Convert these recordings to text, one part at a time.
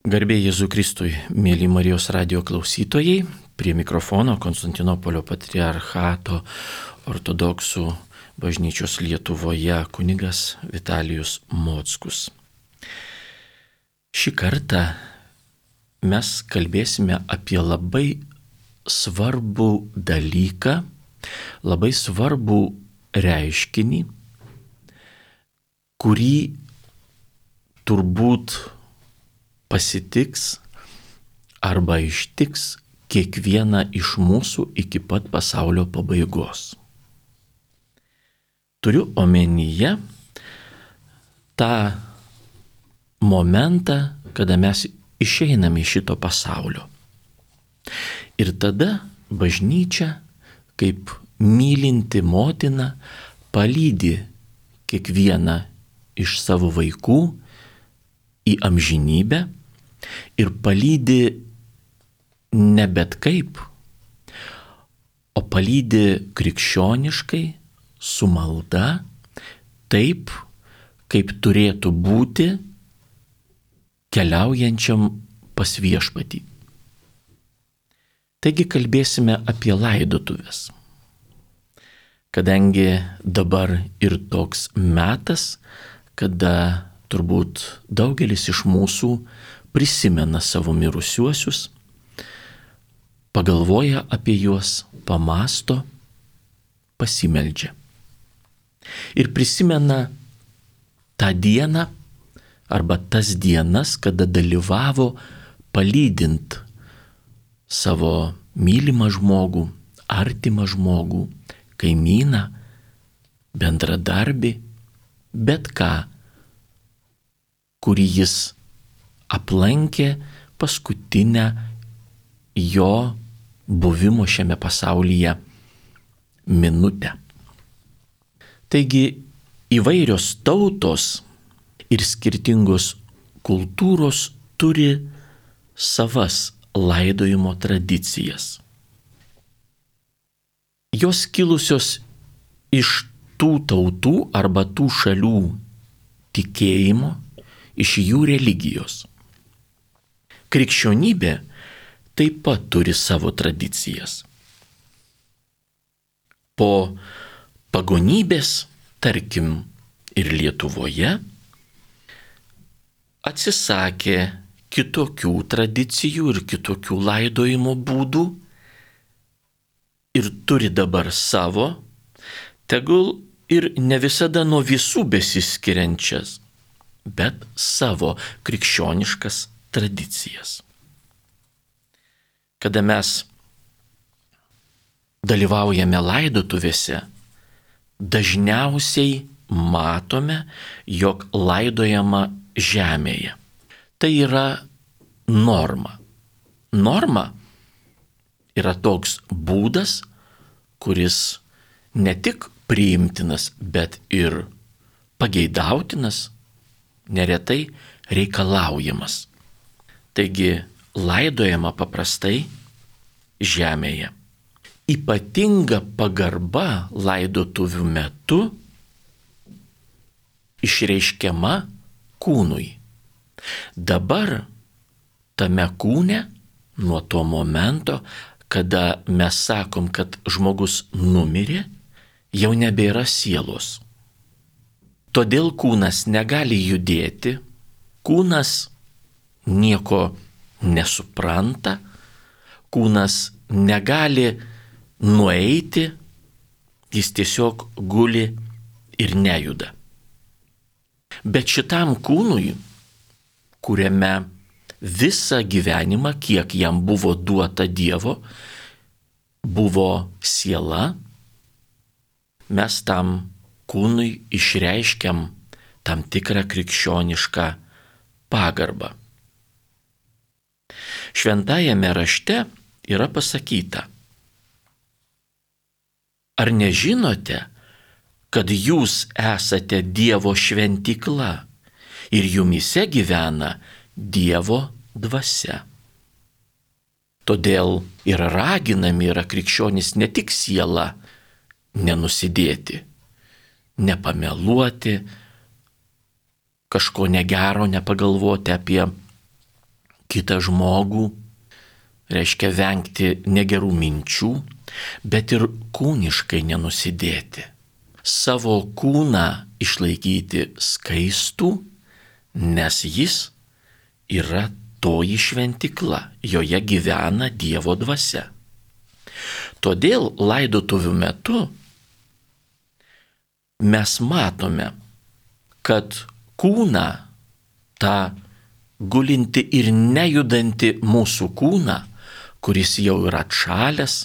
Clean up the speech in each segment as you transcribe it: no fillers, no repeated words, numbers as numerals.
Garbė Jėzui Kristui, mėly Marijos radijo klausytojai, prie mikrofono Konstantinopolio patriarchato ortodoksų bažnyčios Lietuvoje kunigas Vitalijus Mockus. Šį kartą mes kalbėsime apie labai svarbų dalyką, labai svarbų reiškinį, kurį turbūt pasitiks arba ištiks kiekvieną iš mūsų iki pat pasaulio pabaigos. Turiu omenyje tą momentą, kada mes išeiname iš šito pasaulio. Ir tada bažnyčia, kaip mylinti motina, palydi kiekvieną iš savo vaikų į amžinybę ir palydi ne bet kaip, o palydi krikščioniškai, su malda, taip, kaip turėtų būti keliaujančiam pas viešpatį. Taigi kalbėsime apie laidotuves. Kadangi dabar ir toks metas, kada turbūt daugelis iš mūsų prisimena savo mirusiuosius, pagalvoja apie juos, pamąsto, pasimeldžia. Ir prisimena tą dieną arba tas dienas, kada dalyvavo palydint savo mylimą žmogų, artimą žmogų, kaimyną, bendradarbį, bet ką, kurį jis aplankė paskutinę jo buvimo šiame pasaulyje minutę. Taigi įvairios tautos ir skirtingos kultūros turi savas laidojimo tradicijas. Jos kilusios iš tų tautų arba tų šalių tikėjimo, iš jų religijos. Krikščionybė taip pat turi savo tradicijas. Po pagonybės, tarkim, ir Lietuvoje, atsisakė kitokių tradicijų ir kitokių laidojimo būdų ir turi dabar savo, tegul ir ne visada nuo visų besiskiriančias, bet savo krikščioniškas tradicijas. Kada mes dalyvaujame laidotuvėse, dažniausiai matome, jog laidojama žemėje. Tai yra norma. Norma yra toks būdas, kuris ne tik priimtinas, bet ir pageidautinas, neretai reikalaujamas. Taigi laidojama paprastai žemėje. Ypatinga pagarba laidotuvių metu išreiškiama kūnui. Dabar tame kūne, nuo to momento, kada mes sakom, kad žmogus numirė, jau nebėra sielos. Todėl kūnas negali judėti, kūnas nieko nesupranta, kūnas negali nueiti, jis tiesiog guli ir nejuda. Bet šitam kūnui, kuriame visą gyvenimą, kiek jam buvo duota Dievo, buvo siela, mes tam kūnui išreiškiam tam tikrą krikščionišką pagarbą. Šventajame rašte yra pasakyta: ar nežinote, kad jūs esate Dievo šventykla ir jumyse gyvena Dievo dvasia? Todėl ir raginami yra krikščionys ne tik siela nenusidėti, nepameluoti, kažko negero nepagalvoti apie kitą žmogų, reiškia vengti negerų minčių, bet ir kūniškai nenusidėti. Savo kūną išlaikyti skaistų, nes jis yra toji šventykla, joje gyvena Dievo dvasia. Todėl laidotuvių metu mes matome, kad kūną, tą gulinti ir nejudanti mūsų kūną, kuris jau yra atšalęs,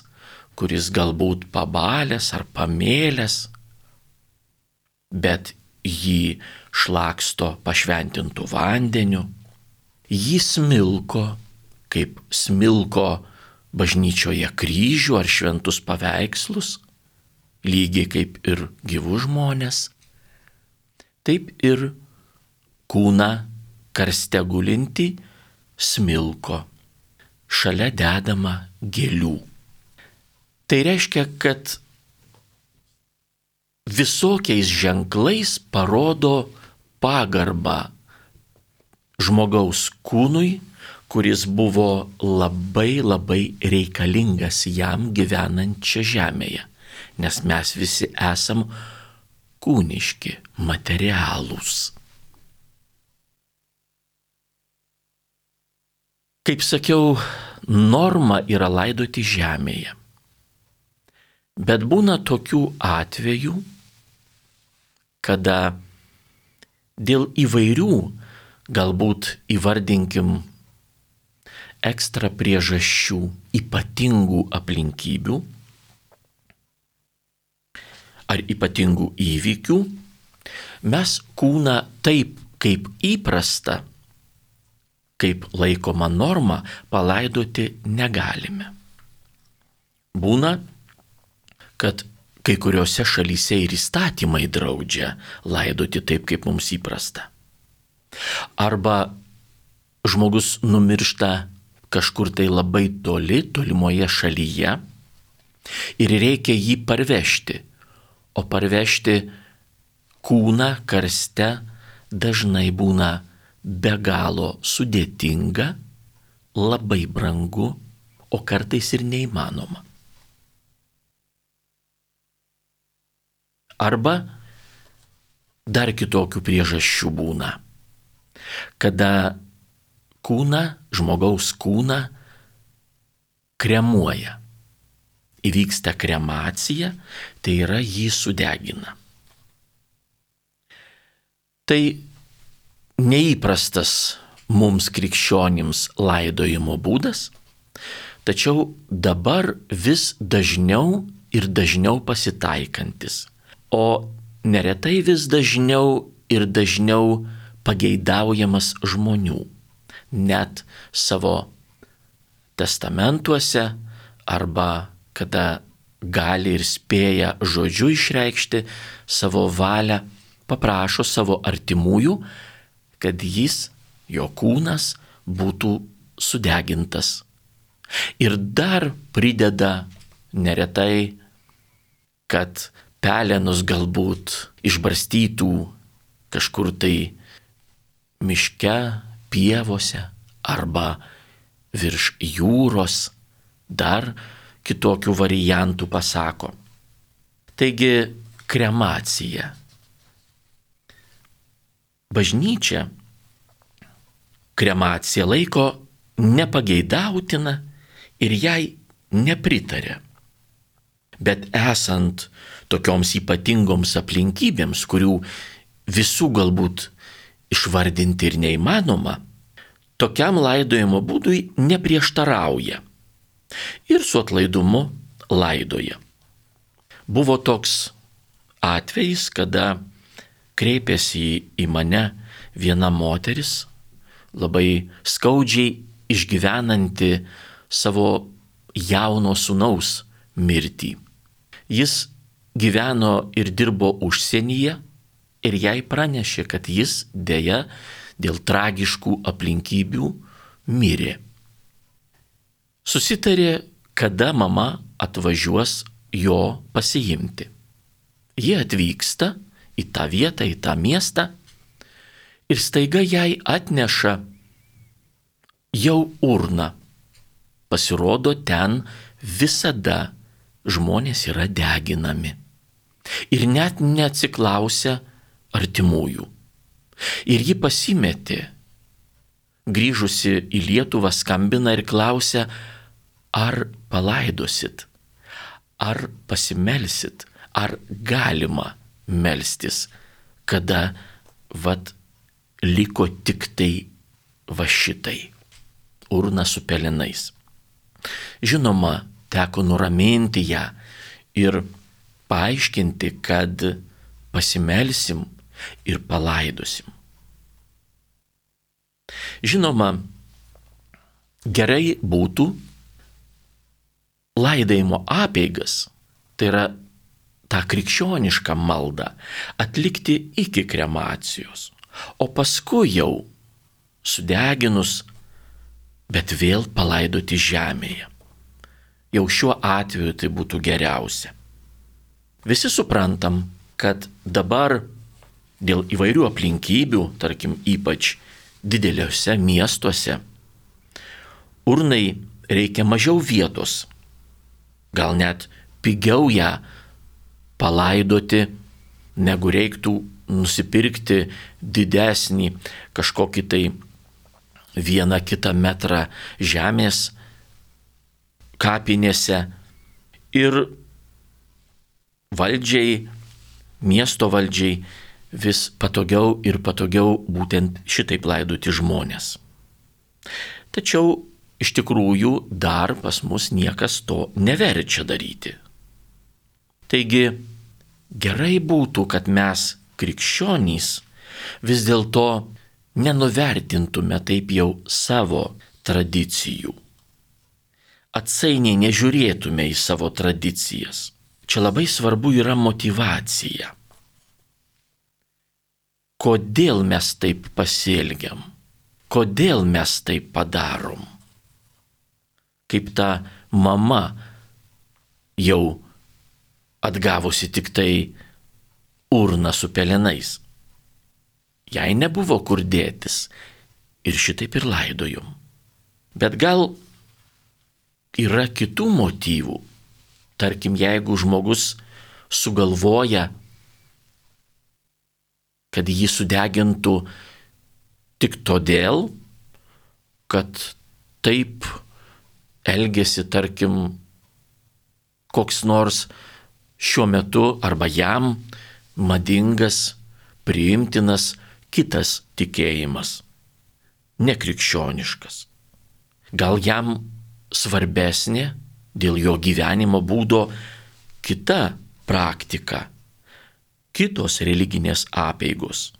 kuris galbūt pabalęs ar pamėlęs, bet jį šlaksto pašventintų vandeniu, jį smilko, kaip smilko bažnyčioje kryžių ar šventus paveikslus, lygiai kaip ir gyvus žmonės, taip ir kūną karste gulinti smilko, šalia dedama gėlių. Tai reiškia, kad visokiais ženklais parodo pagarbą žmogaus kūnui, kuris buvo labai labai reikalingas jam gyvenant čia žemėje, nes mes visi esam kūniški, materialūs. Kaip sakiau, norma yra laidoti žemėje. Bet būna tokių atvejų, kada dėl įvairių, galbūt įvardinkim, ekstra priežasčių, ypatingų aplinkybių ar ypatingų įvykių, mes kūną taip, kaip įprasta, kaip laikoma norma, palaidoti negalime. Būna, kad kai kuriuose šalyse ir įstatymai draudžia laidoti taip, kaip mums įprasta. Arba žmogus numiršta kažkur tai labai toli, tolimoje šalyje ir reikia jį parvežti. O parvežti kūną karste dažnai būna be galo sudėtinga, labai brangu, o kartais ir neįmanoma. Arba dar kitokių priežasčių būna, kada kūną, žmogaus kūną kremuoja. Įvyksta kremacija, tai yra jį sudegina. Tai neįprastas mums krikščionims laidojimo būdas, tačiau dabar vis dažniau ir dažniau pasitaikantis. O neretai vis dažniau ir dažniau pageidaujamas žmonių, net savo testamentuose arba kada gali ir spėja žodžiu išreikšti savo valią, paprašo savo artimųjų, kad jis, jo kūnas, būtų sudegintas. Ir dar prideda neretai, kad pelenus galbūt išbarstytų kažkur tai miške, pievose arba virš jūros, dar kitokių variantų pasako. Taigi kremacija. Bažnyčia kremaciją laiko nepageidautina ir jai nepritarė. Bet esant tokioms ypatingoms aplinkybėms, kurių visų galbūt išvardinti ir neįmanoma, tokiam laidojimo būdui neprieštarauja ir su atlaidumu laidoja. Buvo toks atvejis, kada kreipėsi į mane viena moteris, labai skaudžiai išgyvenanti savo jauno sūnaus mirtį. Jis gyveno ir dirbo užsienyje ir jai pranešė, kad jis deja dėl tragiškų aplinkybių mirė. Susitarė, kada mama atvažiuos jo pasiimti. Jie atvyksta į tą vietą, į tą miestą ir staiga jai atneša jau urna. Pasirodo, ten visada žmonės yra deginami. Ir net neatsiklausia artimųjų. Ir ji pasimetė. Grįžusi į Lietuvą skambina ir klausia, ar palaidosit, ar pasimelsit, ar galima melstis, kada liko tik tai šitai, urna su pelenais. Žinoma, teko nuraminti ją ir paaiškinti, kad pasimelsim ir palaidosim. Žinoma, gerai būtų laidojimo apeigas, tai yra tą krikščionišką maldą, atlikti iki kremacijos, o paskui jau sudeginus, bet vėl palaidoti žemėje. Jau šiuo atveju tai būtų geriausia. Visi suprantam, kad dabar dėl įvairių aplinkybių, tarkim ypač dideliuose miestuose, urnai reikia mažiau vietos, gal net pigiau ją palaidoti, negu reiktų nusipirkti didesnį kažkokį tai 1-2 metrą žemės kapinėse. Ir valdžiai, miesto valdžiai vis patogiau ir patogiau būtent šitaip laidoti žmonės. Tačiau iš tikrųjų dar pas mus niekas to neverčia daryti. Taigi gerai būtų, kad mes krikščionys vis dėlto nenuvertintume taip jau savo tradicijų. Atsainiai nežiūrėtume į savo tradicijas. Čia labai svarbu yra motyvacija. Kodėl mes taip pasielgiam? Kodėl mes taip padarom? Kaip ta mama jau atgavusi tik tai urną su pelenais. Jai nebuvo kur dėtis ir šitaip ir laidojom. Bet gal yra kitų motyvų. Tarkim, jeigu žmogus sugalvoja, kad jį sudegintų tik todėl, kad taip elgėsi, tarkim, koks nors šiuo metu arba jam madingas, priimtinas kitas tikėjimas, nekrikščioniškas. Gal jam svarbesnė dėl jo gyvenimo būdo kita praktika, kitos religinės apeigos.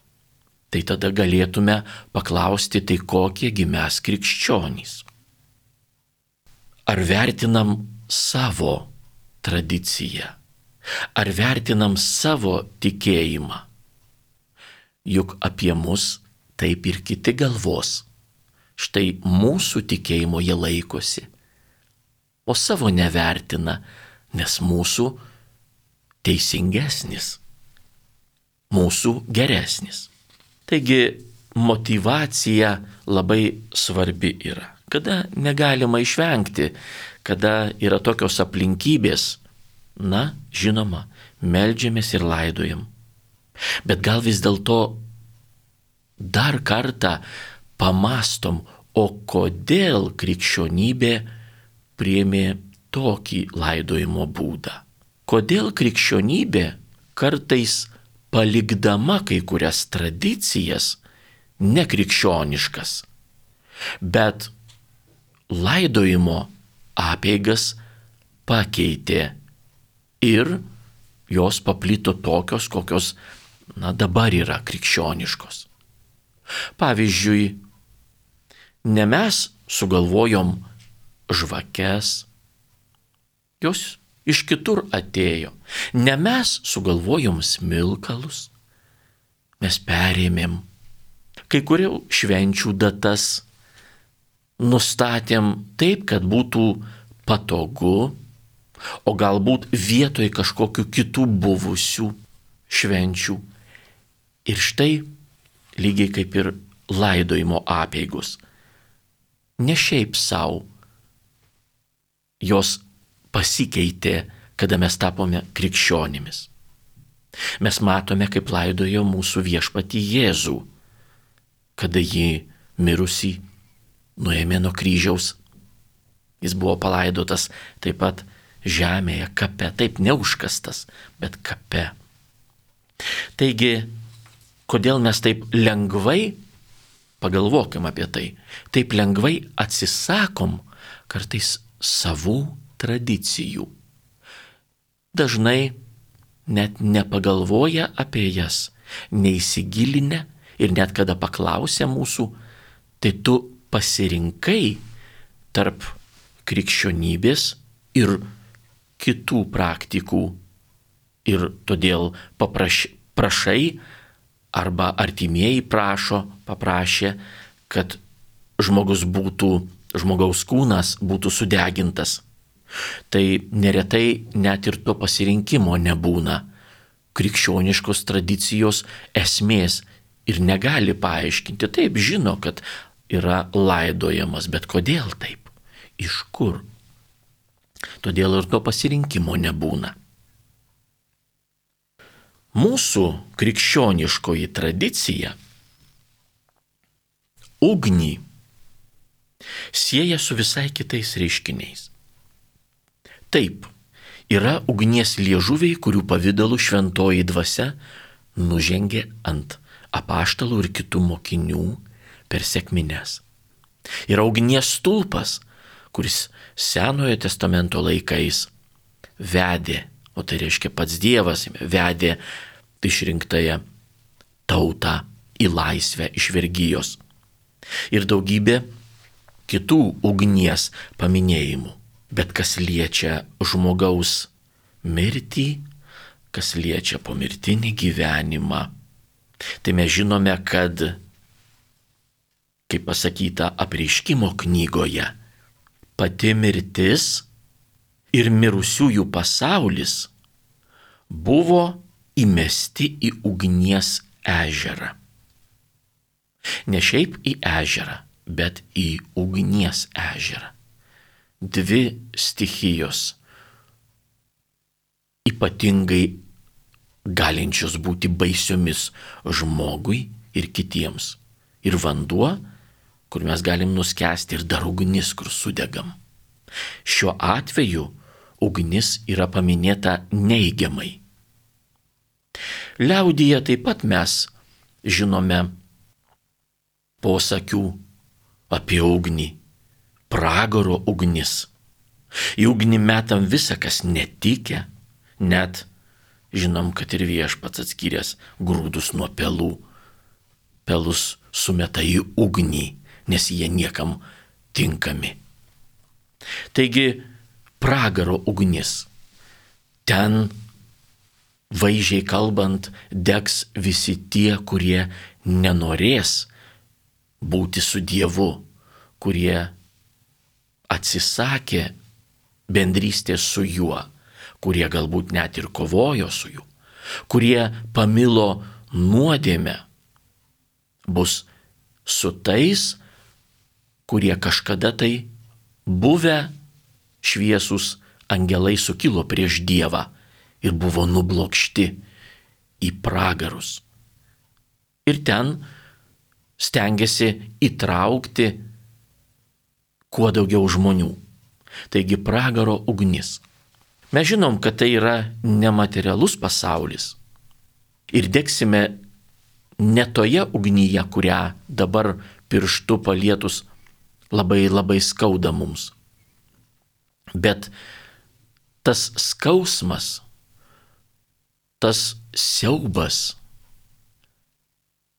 Tai tada galėtume paklausti, tai kokiegi mes krikščionys. Ar vertinam savo tradiciją? Ar vertinam savo tikėjimą? Juk apie mus taip ir kiti galvos. Štai mūsų tikėjimo jie laikosi, o savo nevertina, nes mūsų teisingesnis, mūsų geresnis. Taigi motyvacija labai svarbi yra. Kada negalima išvengti, kada yra tokios aplinkybės, žinoma, meldžiamės ir laidojam. Bet gal vis dėlto dar kartą pamastom, o kodėl krikščionybė priėmė tokį laidojimo būdą. Kodėl krikščionybė kartais palikdama kai kurias tradicijas nekrikščioniškas, bet laidojimo apeigas pakeitė ir jos paplito tokios, kokios dabar yra krikščioniškos. Pavyzdžiui, ne mes sugalvojom žvakes, jos iš kitur atėjo. Ne mes sugalvojom smilkalus, mes perėmėm kai kurių švenčių datas, nustatėm taip, kad būtų patogu, o galbūt vietoj kažkokių kitų buvusių švenčių. Ir štai lygiai kaip ir laidojimo apeigos. ne šiaip savo. Jos pasikeitė, kada mes tapome krikščionimis. Mes matome, kaip laidojo mūsų viešpatį Jėzų, kada jį mirusį nuėmė nuo kryžiaus. Jis buvo palaidotas taip pat žemėje, kape, taip neužkastas, bet kape. Taigi, kodėl mes taip lengvai, pagalvokim apie tai, taip lengvai atsisakom kartais savų tradicijų. Dažnai net nepagalvoja apie jas, neįsigilinę ir net kada paklausia mūsų, tai tu pasirinkai tarp krikščionybės ir kitų praktikų ir todėl prašai arba artimieji paprašė, kad žmogaus kūnas būtų sudegintas. Tai neretai net ir to pasirinkimo nebūna. Krikščioniškos tradicijos esmės ir negali paaiškinti. Taip, žino, kad yra laidojamas, bet kodėl taip? Iš kur? Todėl ir to pasirinkimo nebūna. Mūsų krikščioniškoji tradicija ugnį sieja su visai kitais reiškiniais. Taip, yra ugnies liežuviai, kurių pavidalų šventoji dvasia nužengė ant apaštalų ir kitų mokinių per sekmines. Yra ugnies stulpas, kuris Senojo testamento laikais vedė, o tai reiškia pats Dievas vedė išrinktąją tautą į laisvę iš vergijos. Ir daugybė kitų ugnies paminėjimų. Bet kas liečia žmogaus mirtį, kas liečia pomirtinį gyvenimą, tai mes žinome, kad, kaip pasakyta Apreiškimo knygoje, pati mirtis ir mirusiųjų pasaulis buvo įmesti į ugnies ežerą. Ne šiaip į ežerą, bet į ugnies ežerą. Dvi stichijos, ypatingai galinčios būti baisiomis žmogui ir kitiems. Ir vanduo, kur mes galim nuskęsti, ir dar ugnis, kur sudegam. Šiuo atveju ugnis yra paminėta neigiamai. Liaudyje taip pat mes žinome posakių apie ugnį. Pragaro ugnis. Į ugnį metam visą, kas netikę, net žinom, kad ir viešpats atskyręs grūdus nuo pelų. Pelus sumeta į ugnį, nes jie niekam tinkami. Taigi, pragaro ugnis. Ten, vaizdžiai kalbant, degs visi tie, kurie nenorės būti su Dievu, kurie atsisakė bendrystės su juo, kurie galbūt net ir kovojo su juo, kurie pamilo nuodėmę, bus su tais, kurie kažkada tai buvę šviesūs angelai sukilo prieš Dievą ir buvo nublokšti į pragarus. Ir ten stengiasi įtraukti kuo daugiau žmonių. Taigi pragaro ugnis. Mes žinom, kad tai yra nematerialus pasaulis. Ir degsime ne toje ugnyje, kurią dabar pirštu palietus labai labai skauda mums. Bet tas skausmas, tas siaubas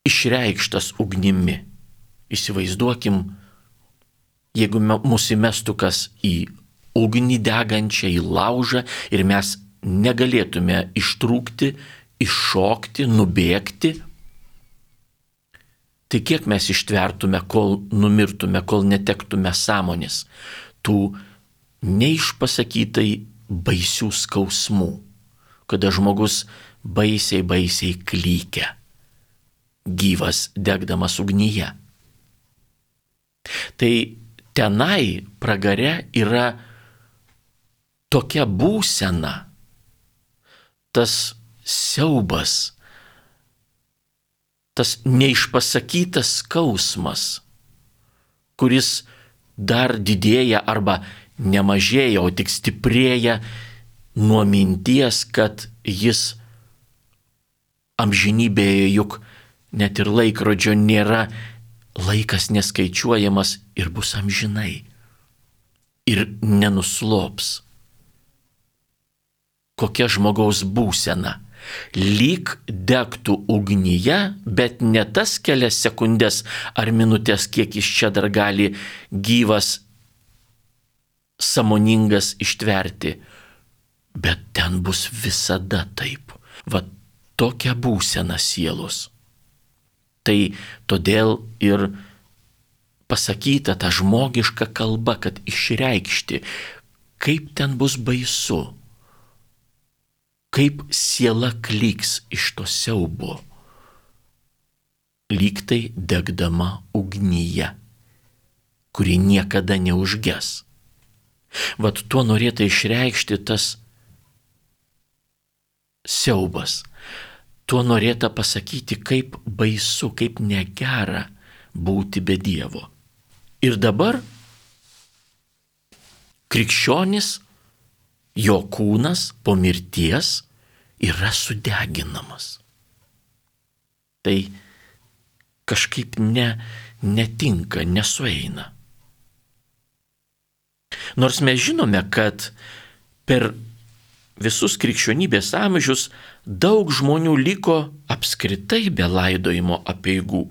išreikštas ugnimi. Įsivaizduokim, jeigu mūsų įmestų kas į ugnį degančią, į laužą ir mes negalėtume ištrūkti, iššokti, nubėgti, tai kiek mes ištvertume, kol numirtume, kol netektume sąmonės tų neišpasakytai baisių skausmų, kada žmogus baisiai klykia, gyvas degdamas ugnyje. Tai tenai pragare yra tokia būsena, tas siaubas, tas neišpasakytas skausmas, kuris dar didėja arba nemažėja, o tik stiprėja nuo minties, kad jis amžinybėje, juk net ir laikrodžio nėra, laikas neskaičiuojamas ir bus amžinai. Ir nenuslops. Kokia žmogaus būsena. Lyg degtų ugnyje, bet ne tas kelias sekundės ar minutės, kiek jis čia dar gali gyvas, sąmoningas ištverti, bet ten bus visada taip. Va tokia būsena sielos. Tai todėl ir pasakyta ta žmogiška kalba, kad išreikšti, kaip ten bus baisu, kaip siela klyks iš to siaubo, lyg tai degdama ugnyje, kuri niekada neužges. Vat tuo norėta išreikšti tas siaubas. Tuo norėta pasakyti, kaip baisu, kaip negera būti be Dievo. Ir dabar krikščionis, jo kūnas po mirties yra sudeginamas. Tai kažkaip netinka, nesueina. Nors mes žinome, kad per visus krikščionybės amžius daug žmonių liko apskritai be laidojimo apeigų.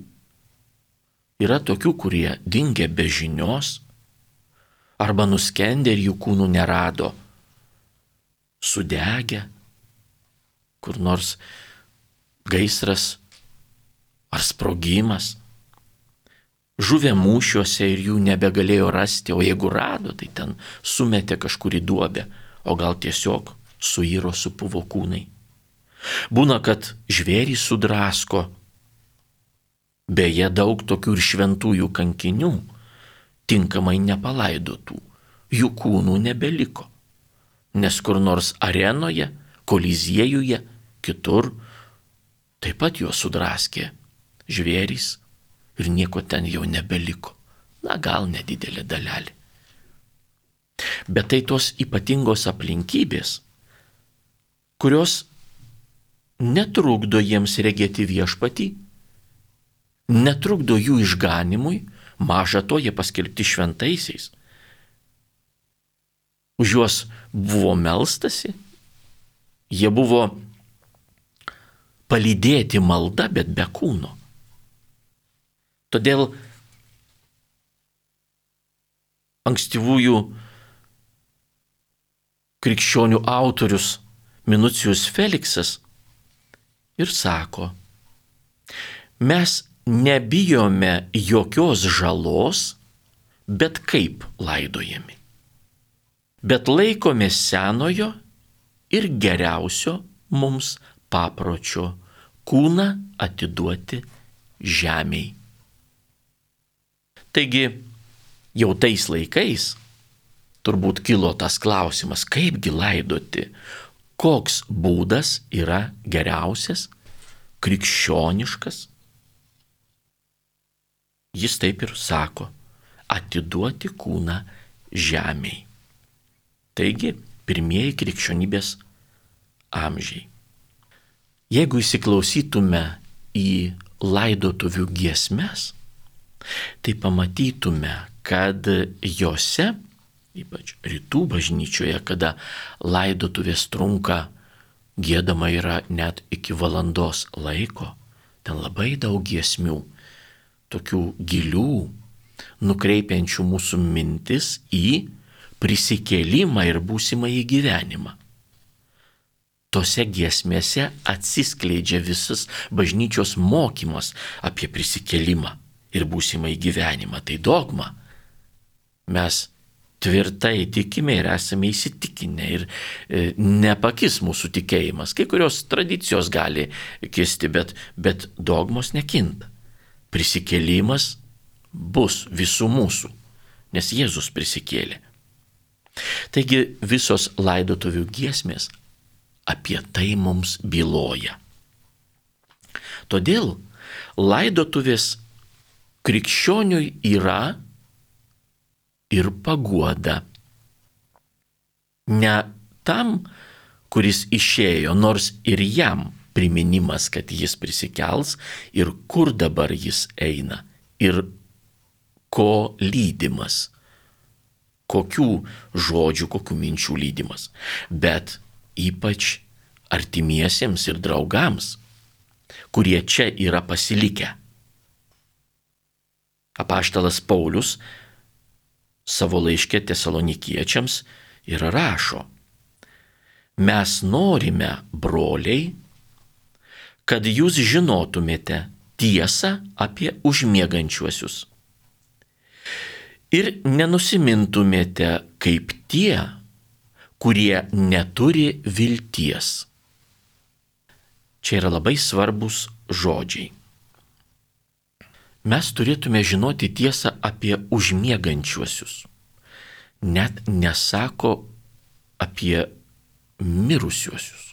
Yra tokių, kurie dingė be žinios, arba nuskendė ir jų kūnų nerado, sudegę, kur nors gaisras ar sprogimas, žuvę mūšiuose ir jų nebegalėjo rasti, o jeigu rado, tai ten sumetė kažkur į duobę, o gal tiesiog suiro, supuvo kūnai. Būna, kad žvėrys sudrasko. Beje, daug tokių ir šventųjų kankinių, tinkamai nepalaidotų, jų kūnų nebeliko. Nes kur nors arenoje, koliziejuje, kitur, taip pat juos sudraskė žvėrys ir nieko ten jau nebeliko. Na, gal nedidelė dalelė. Bet tai tos ypatingos aplinkybės, kurios netrukdo jiems regėti viešpatį, netrukdo jų išganimui, maža to jie paskelbti šventaisiais. Už juos buvo melstasi, jie buvo palydėti malda, bet be kūno. Todėl ankstyvųjų krikščionių autorius Minucijus Feliksas ir sako, mes nebijome jokios žalos, bet kaip laidojami. Bet laikomės senojo ir geriausio mums papročio kūną atiduoti žemei. Taigi, jau tais laikais turbūt kilo tas klausimas, kaipgi laidoti, koks būdas yra geriausias, krikščioniškas. Jis taip ir sako, atiduoti kūną žemei. Taigi, pirmieji krikščionybės amžiai. Jeigu įsiklausytume į laidotuvių giesmes, tai pamatytume, kad jose, ypač rytų bažnyčioje, kada laidotuvės trunka, giedama yra net iki valandos laiko, ten labai daug giesmių, tokių gilių, nukreipiančių mūsų mintis į prisikėlimą ir būsimąjį gyvenimą. Tose giesmėse atsiskleidžia visas bažnyčios mokymas apie prisikėlimą ir būsimąjį gyvenimą. Tai dogma. Mes tvirtai tikime ir esame įsitikinę ir nepakis mūsų tikėjimas. Kai kurios tradicijos gali kisti, bet dogmos nekinta. Prisikėlimas bus visų mūsų. nes Jėzus prisikėlė. Taigi visos laidotuvių giesmės apie tai mums byloja. Todėl laidotuvės krikščioniui yra ir paguoda. Ne tam, kuris išėjo, nors ir jam priminimas, kad jis prisikels ir kur dabar jis eina ir ko lydimas, kokių žodžių, kokių minčių lydimas, bet ypač artimiesiems ir draugams, kurie čia yra pasilikę. Apaštalas Paulius savo laiške Tesalonikiečiams ir rašo: mes norime, broliai, kad jūs žinotumėte tiesą apie užmiegančiuosius ir nenusimintumėte kaip tie, kurie neturi vilties. Čia yra labai svarbus žodžiai. Mes turėtume žinoti tiesą apie užmiegančiuosius. Net nesako apie mirusiuosius.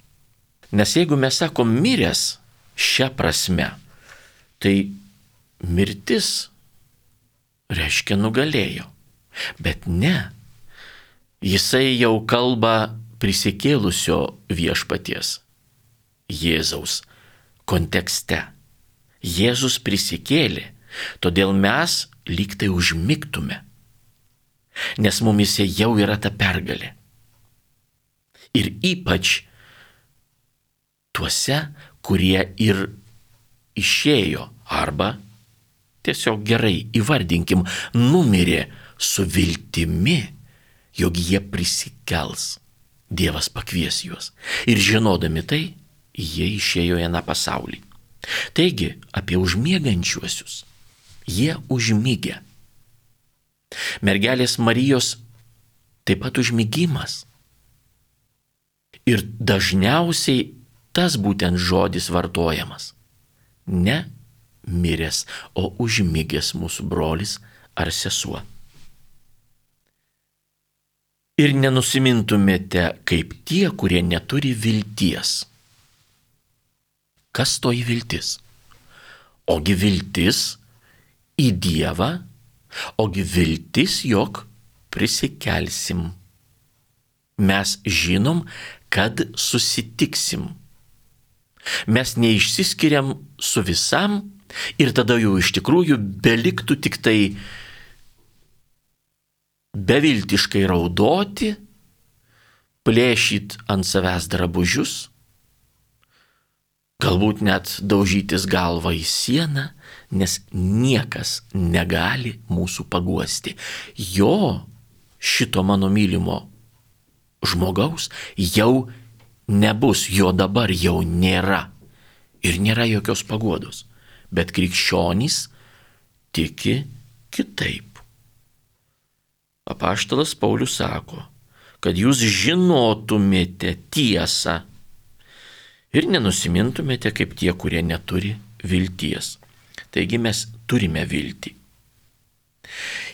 Nes jeigu mes sakom miręs šią prasme, tai mirtis reiškia nugalėjo. Bet ne. Jisai jau kalba prisikėlusio viešpaties, Jėzaus kontekste. Jėzus prisikėlė, todėl mes lyg tai užmigtume, nes mumise jau yra ta pergalė. Ir ypač tuose, kurie ir išėjo, arba tiesiog gerai įvardinkim, numirė su viltimi, jog jie prisikels. Dievas pakvies juos. Ir žinodami tai, jie išėjo į aną pasaulį. Taigi, apie užmiegančiuosius. Jie užmigę. Mergelės Marijos taip pat užmigimas. Ir dažniausiai tas būtent žodis vartojamas. Ne miręs, o užmigęs mūsų brolis ar sesuo. Ir nenusimintumėte kaip tie, kurie neturi vilties. Kas toji viltis? Ogi viltis į Dievą, ogi viltis, jog prisikelsim. Mes žinom, kad susitiksim. Mes neišsiskiriam su visam ir tada jau iš tikrųjų beliktų tik tai beviltiškai raudoti, plėšyt ant savęs drabužius, galbūt net daužytis galvą į sieną, nes niekas negali mūsų paguosti. Jo, šito mano mylimo žmogaus, jau nebus, jo dabar jau nėra. Ir nėra jokios paguodos. Bet krikščionys tiki kitaip. Apaštalas Paulius sako, kad jūs žinotumėte tiesą ir nenusimintumėte kaip tie, kurie neturi vilties. Taigi mes turime viltį.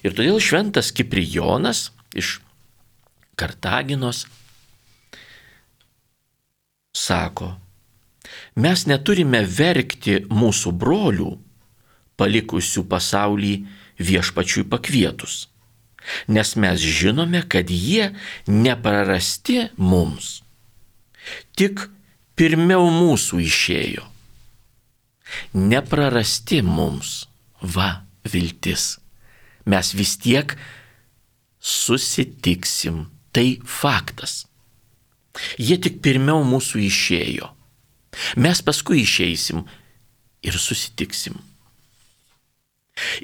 Ir todėl šventas Kiprijonas iš Kartaginos sako, mes neturime verkti mūsų brolių, palikusių pasaulį viešpačiui pakvietus, nes mes žinome, kad jie neprarasti mums, tik pirmiau mūsų išėjo. Neprarasti mums, va, viltis. Mes vis tiek susitiksim, tai faktas. Jie tik pirmiau mūsų išėjo. Mes paskui išeisim ir susitiksim.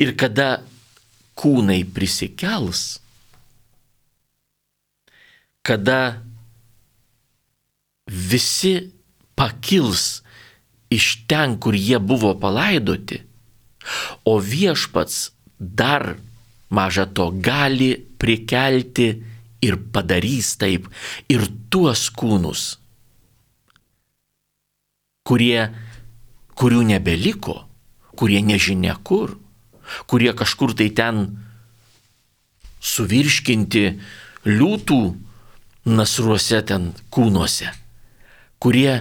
Ir kada kūnai prisikels, kada visi pakils iš ten, kur jie buvo palaidoti, o viešpats dar maža to gali prikelti ir padarys taip ir tuos kūnus, kurių nebeliko, kurie nežinia kur, kurie kažkur tai ten suvirškinti liūtų nasruose ten kūnuose, kurie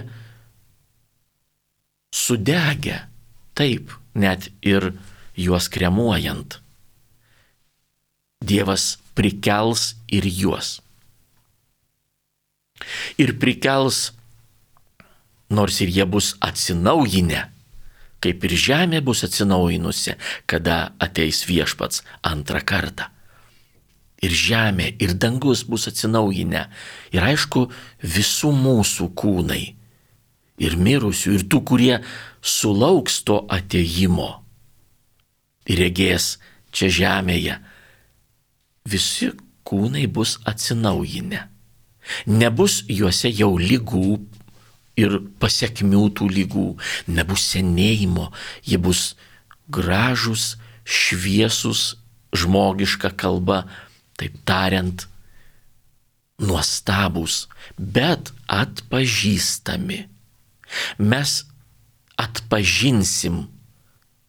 sudegę, taip, net ir juos kremuojant. Dievas prikels ir juos. Ir prikels, nors ir jie bus atsinaujinę, kaip ir žemė bus atsinaujinusi, kada ateis viešpats antrą kartą. Ir žemė, ir dangus bus atsinaujinę. Ir aišku, visų mūsų kūnai, ir mirusių, ir tų, kurie sulauks to atėjimo ir regės čia žemėje, visi kūnai bus atsinaujinę. Nebus juose jau ligų ir pasekmių tų ligų, nebus senėjimo, jie bus gražus, šviesus, žmogiška kalba, taip tariant, nuostabus, bet atpažįstami. Mes atpažinsim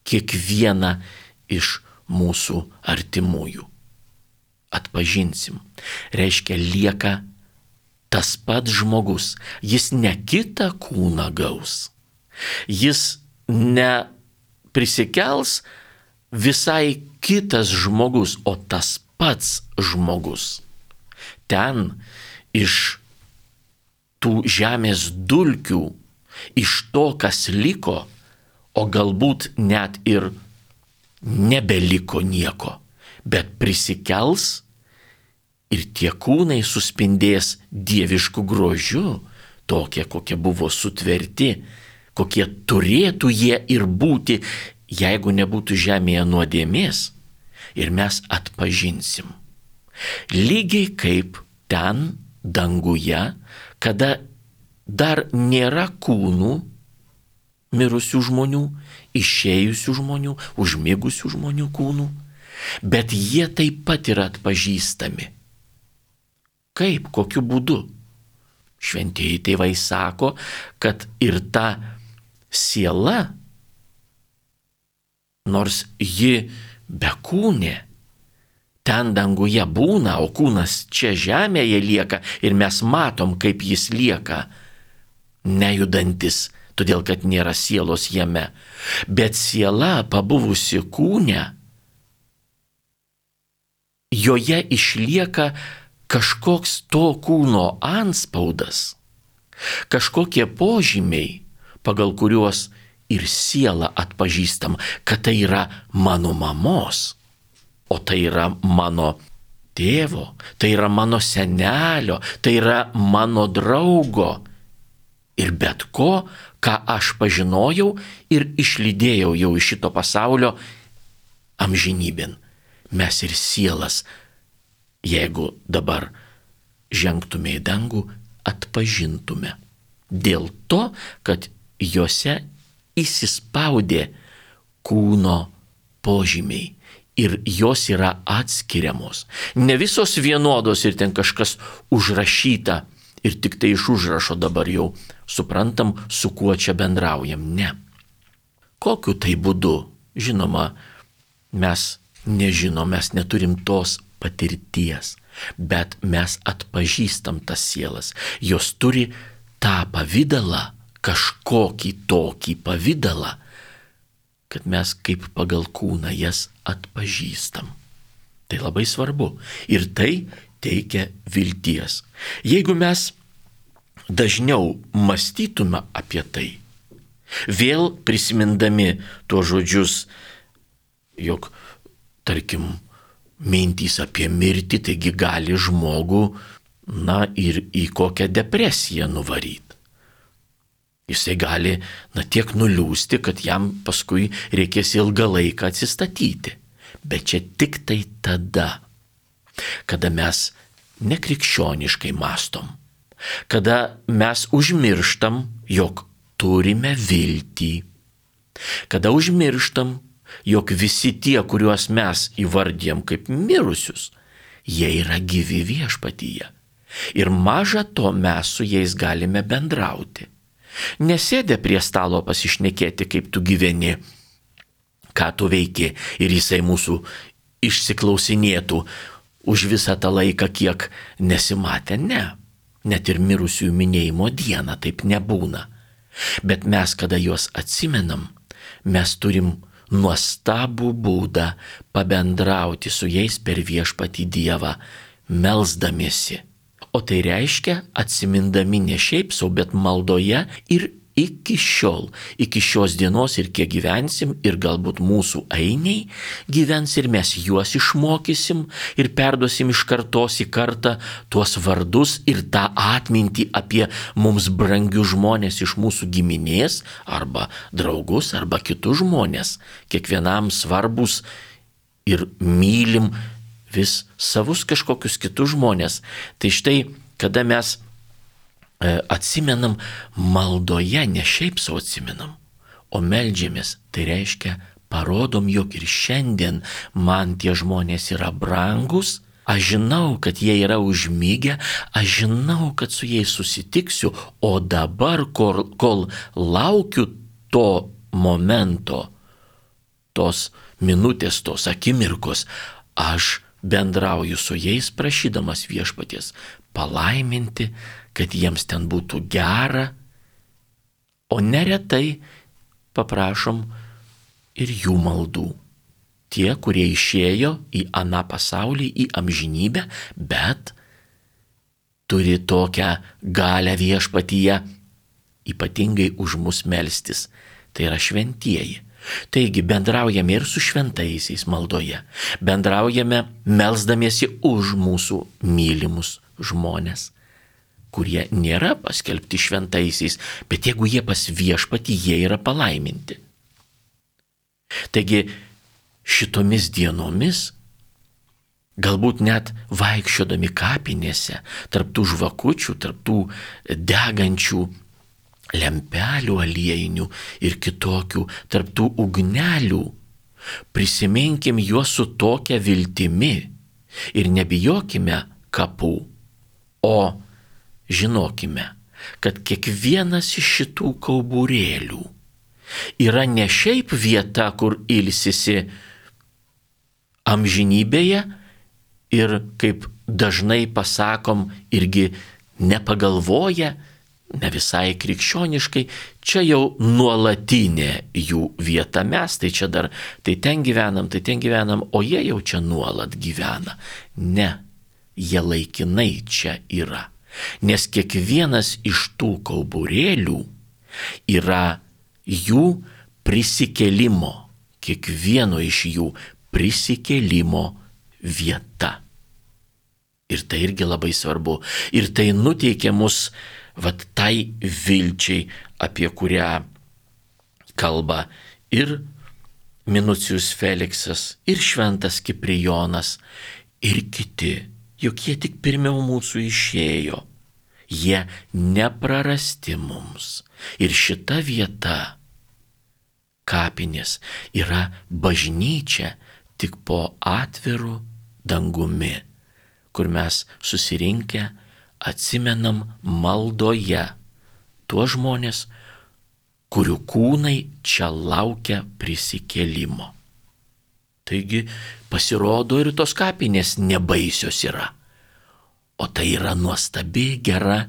kiekvieną iš mūsų artimųjų. Atpažinsim. Reiškia, lieka tas pats žmogus. Jis ne kitą kūną gaus. Jis ne prisikels visai kitas žmogus, o tas pats žmogus. Ten iš tų žemės dulkių, iš to, kas liko, o galbūt net ir nebeliko nieko, bet prisikels ir tie kūnai suspindės dievišku grožiu, tokie, kokie buvo sutverti, kokie turėtų jie ir būti, jeigu nebūtų žemėje nuodėmės, ir mes atpažinsim. Lygiai kaip ten danguje, kada dar nėra kūnų mirusių žmonių, išėjusių žmonių, užmigusių žmonių kūnų, bet jie taip pat yra atpažįstami. Kaip, kokiu būdu? Šventieji tėvai sako, kad ir ta siela, nors ji bekūnė, ten danguje būna, o kūnas čia žemėje lieka ir mes matom, kaip jis lieka, nejudantis, todėl kad nėra sielos jame. Bet siela, pabuvusi kūne, joje išlieka kažkoks to kūno antspaudas, kažkokie požymiai, pagal kuriuos ir sielą atpažįstam, kad tai yra mano mamos, o tai yra mano tėvo, tai yra mano senelio, tai yra mano draugo ir bet ko, ką aš pažinojau ir išlydėjau jau iš šito pasaulio amžinybėn. Mes ir sielas, jeigu dabar žengtume į dangų, atpažintume. Dėl to, kad juose įsispaudė kūno požymiai ir jos yra atskiriamos. Ne visos vienodos ir ten kažkas užrašyta ir tik tai iš užrašo dabar jau suprantam, su kuo čia bendraujam. Ne. Kokiu tai būdu? Žinoma, mes nežinom, mes neturim tos patirties, bet mes atpažįstam tas sielas. Jos turi tą pavydalą, kažkokį tokį pavydalą, kad mes kaip pagal kūną jas atpažįstam. Tai labai svarbu ir tai teikia vilties. Jeigu mes dažniau mąstytume apie tai, vėl prisimindami tuos žodžius, jog, tarkim, mintys apie mirtį, taigi gali žmogų, ir į kokią depresiją nuvaryti. Jisai gali, tiek nuliūsti, kad jam paskui reikės ilgą laiką atsistatyti. Bet čia tik tai tada, kada mes nekrikščioniškai mąstom, kada mes užmirštam, jog turime viltį, kada užmirštam, jog visi tie, kuriuos mes įvardijam kaip mirusius, jie yra gyvi viešpatyje. Ir maža to mes su jais galime bendrauti. Nesėdė prie stalo pasišnekėti, kaip tu gyveni, ką tu veiki, ir jisai mūsų išsiklausinėtų, už visą tą laiką, kiek nesimatę, ne. Net ir mirusiųjų minėjimo dieną taip nebūna. Bet mes, kada juos atsimenam, mes turim nuostabų būdą pabendrauti su jais per Viešpatį Dievą, melsdamiesi. O tai reiškia atsimindami ne šiaip sau, bet maldoje ir iki šiol, iki šios dienos ir kiek gyvensim ir galbūt mūsų ainiai gyvens ir mes juos išmokysim ir perduosim iš kartos į kartą tuos vardus ir tą atmintį apie mums brangius žmonės iš mūsų giminės arba draugus arba kitus žmonės, kiekvienam svarbus ir mylim vis savus kažkokius kitus žmonės. Tai štai, kada mes atsimenam maldoje, ne šiaip sau atsimenam, o meldžiamės, tai reiškia parodom, jog ir šiandien man tie žmonės yra brangus, aš žinau, kad jie yra užmygę, aš žinau, kad su jais susitiksiu, o dabar, kol laukiu to momento, tos minutės, tos akimirkos, aš bendrauju su jais prašydamas Viešpaties palaiminti, kad jiems ten būtų gera, o neretai paprašom ir jų maldų. Tie, kurie išėjo į aną pasaulį, į amžinybę, bet turi tokią galią Viešpatyje ypatingai už mus melstis. Tai yra šventieji. Taigi bendraujame ir su šventaisiais maldoje, bendraujame melsdamiesi už mūsų mylimus žmonės, kurie nėra paskelbti šventaisiais, bet jeigu jie pas Viešpatį, jie yra palaiminti. Taigi šitomis dienomis, galbūt net vaikščiodami kapinėse, tarp tų žvakučių, tarp tų degančių lempelių aliejinių ir kitokių, tarp tų ugnelių, prisiminkim juos su tokia viltimi ir nebijokime kapų, o žinokime, kad kiekvienas iš šitų kauburėlių yra ne šiaip vieta, kur ilsisi amžinybėje ir, kaip dažnai pasakom, irgi nepagalvoja, ne visai krikščioniškai, čia jau nuolatinė jų vieta, mes tai čia dar, tai ten gyvenam, o jie jau čia nuolat gyvena. Ne, jie laikinai čia yra, nes kiekvienas iš tų kauburėlių yra jų prisikėlimo, kiekvieno iš jų prisikėlimo vieta. Ir tai irgi labai svarbu. Ir tai nuteikia mus vat tai vilčiai, apie kurią kalba ir Minucijus Feliksas, ir šventas Kiprijonas, ir kiti, juk jie tik pirmiau mūsų išėjo. Jie neprarasti mums. Ir šita vieta, kapinės, yra bažnyčia tik po atviru dangumi, kur mes susirinkę atsimenam maldoje tuos žmonės, kurių kūnai čia laukia prisikėlimo. Taigi pasirodo ir tos kapinės nebaisios yra, o tai yra nuostabi, gera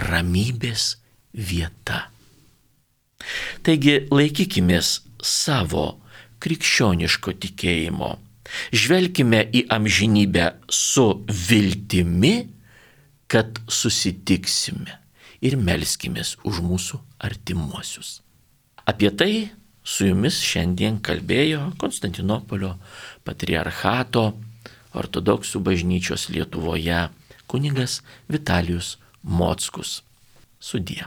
ramybės vieta. Taigi laikykimės savo krikščioniško tikėjimo, žvelkime į amžinybę su viltimi, kad susitiksime ir melskimės už mūsų artimuosius. Apie tai su jumis šiandien kalbėjo Konstantinopolio patriarchato ortodoksų bažnyčios Lietuvoje kunigas Vitalijus Mockus. Sudie.